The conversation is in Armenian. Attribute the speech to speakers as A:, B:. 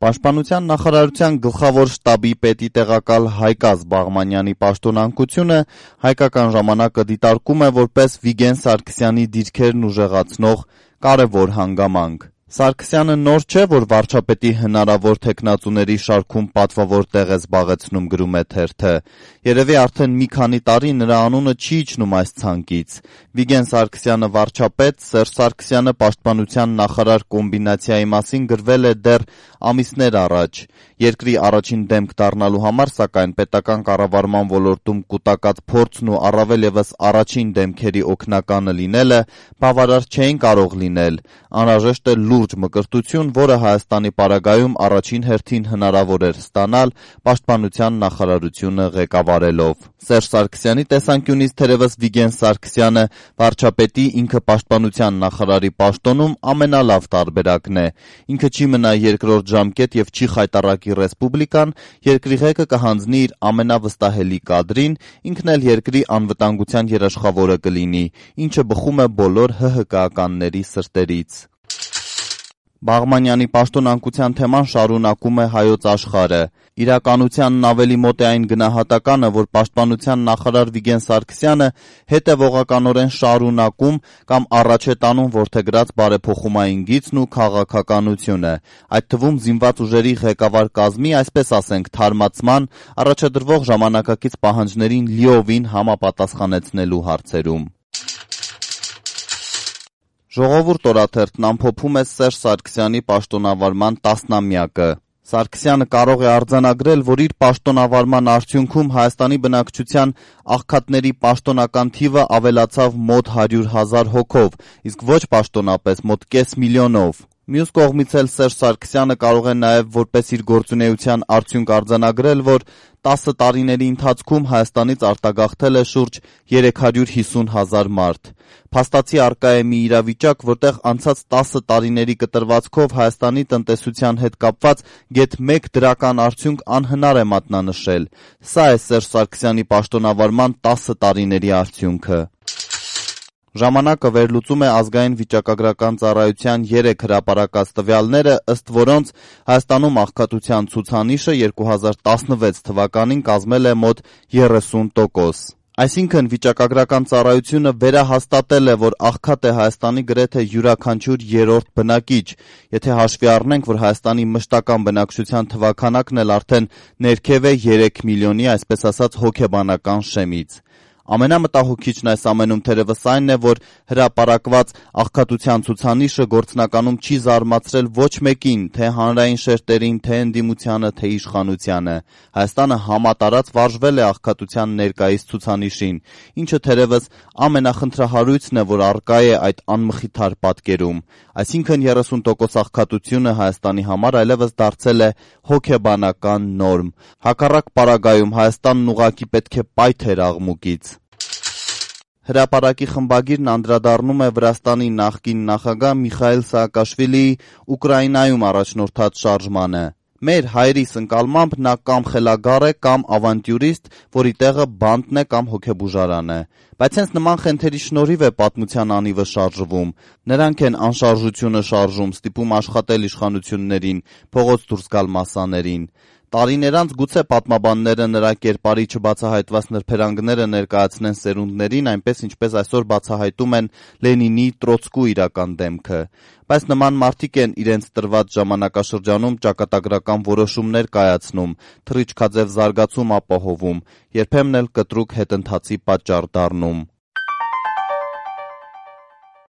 A: Պաշտպանության նախարարության գլխավոր շտաբի պետի տեղակալ Հայկազ Բաղմանյանի պաշտոնանկությունը «Հայկական ժամանակը» դիտարկում է որպես Վիգեն Սարգսյանի դիրքերն ուժեղացնող կարևոր հանգամանք։ Սարգսյանը նոր չէ, որ վարչապետի հնարավոր թեկնածուների շարքում պատվավոր տեղ է զբաղեցնում, գրում է թերթը։ Երևի արդեն մի քանի տարի նրա անունը չի իջնում այս ցանկից։ Վիգեն Սարգսյանը վարչապետ, Սերժ Սարգսյանը պաշտպանության նախարար կոմբինացիայի մասին գրվել է դեռ ամիսներ առաջ։ Երկրի առաջին դեմք դառնալու համար, սակայն, պետական կառավարման ոլորտում կուտակած փորձն ու առավել ևս առաջին դեմքերի օգնականը լինելը բավարար չէին կարող լինել։ Անհրաժեշտ է լուրջ մկրտություն, որը Հայաստանի պարագայում առաջին հերթին հնարավոր էր ստանալ պաշտպանության նախարարությունը ղեկավարելով։ Սերժ Սարգսյանի տեսանկյունից թերևս Վիգեն Սարգսյանը վարչապետի ինքը պաշտպանության նախարարի պաշտոնում ամենալավ տարբերակն է։ Ինքը չի մնա երկրորդ ժամկետ եւ չի խայտառակի ռեսպուբլիկան, երկրի ղեկը կհանձնի իր ամենավստահելի կադրին, ինքն էլ երկրի անվտանգության երաշխավորը կլինի, ինչը բխում է բոլոր ՀՀԿ-ականների սրտերից։ Բաղմանյանի պաշտոնանկության թեման շարունակում է Հայոց Աշխարհը։ Իրականությանն ավելի մոտ է այն գնահատականը, որ պաշտպանության նախարար Վիգեն Սարգսյանը հետևողականորեն շարունակում կամ առաջ է տանում որդեգրած բարեփոխումային գիծն ու քաղաքականությունը, այդ թվում զինված ուժերի ղեկավար կազմի, այսպես ասենք, թարմացման, առաջադրվող ժամանակակից պահանջներին լիովին համապատասխանեցնելու հարցերում։ Ժողովուրդ օրաթերթն ամփոփում է Սերժ Սարգսյանի պաշտոնավարման 10-ամյակը։ Սարգսյանը կարող է արձանագրել, որ իր պաշտոնավարման արդյունքում Հայաստանի բնակչության աղքատների պաշտոնական թիվը ավելացավ մոտ 100,000 հոգով, իսկ ոչ պաշտոնապես մոտ կես միլիոնով։ Մյուս կողմից էլ Սերժ Սարգսյանը կարող է նաև որպես իր գործունեության արդյունք արձանագրել, որ 10 տարիների ընթացքում Հայաստանից արտագաղթել է շուրջ 350,000 մարդ։ Փաստացի առկա է մի իրավիճակ, որտեղ անցած 10 տարիների կտրվածքով Հայաստանի տնտեսության հետ կապված գեթ մեկ դրական արդյունք անհնար է մատնանշել։ Սա է Սերժ Սարգսյանի պաշտոնավարման 10 տարիների արդյունքը։ Ժամանակը վերլուծում է ազգային վիճակագրական ծառայության 3 հրապարակած տվյալները, ըստ որոնց Հայաստանում աղքատության ցուցանիշը 2016 թվականին կազմել է մոտ 30%։ Այսինքն վիճակագրական ծառայությունը վերահաստատել է, որ աղքատ է Հայաստանի գրեթե յուրաքանչյուր երրորդ բնակիչ, եթե հաշվի առնենք, որ Հայաստանի մշտական բնակչության թվաքանակն էլ արդեն ներքև է 3 միլիոնի, այսպես ասած, հոգեբանական շեմից։ Ամենամտահոգիչն այս ամենում թերևս այն է, որ հրապարակված աղքատության ցուցանիշը գործնականում չի զարմացրել ոչ մեկին, թե հանրային շերտերին, թե ընդդիմությանը, թե իշխանությանը։ Հայաստանը համատարած վարժվել է աղքատության ներկայիս ցուցանիշին, ինչը թերևս ամենախնդրահարույցն է, որ առկա է այդ անմխիթար պատկերում։ Այսինքն 30% աղքատությունը Հայաստանի համար այլևս դարձել է հոգեբանական նորմ։ Հակառակ պարագայում Հայաստանն ուղղակի պետք է պայթեր աղմուկից։ Հրապարակի խմբագիրն անդրադառնում է Վրաստանի նախկին նախագահ Միխայիլ Սաակաշվիլիի Ուկրաինայում առաջնորդած շարժմանը։ Մեր հայրիս ընկալմամբ նա կամ խելագար է, կամ ավանտյուրիստ, որի տեղը բանտն է կամ հոգեբուժարանը։ Բայց հենց նման խնդրի շնորհիվ է պատմության անիվը շարժվում։ Նրանք են անշարժությունը շարժում, ստիպում աշխատել իշխանություններին, փողոց դուրս գալ մասաներին։ Տարիներ անց գուցե պատմաբանները նրա կերպարի չբացահայտված նրբերանգները ներկայացնեն սերունդներին, այնպես ինչպես այսօր բացահայտում են Լենինի, Տրոցկու իրական դեմքը։ Բայց նման մարդիկ են իրենց տրված ժամանակաշրջանում ճակատագրական որոշումներ կայացնում, թռիչքաձև զարգացում ապահովում, երբեմն էլ կտրուկ հետընթացի պատճառ դառնում։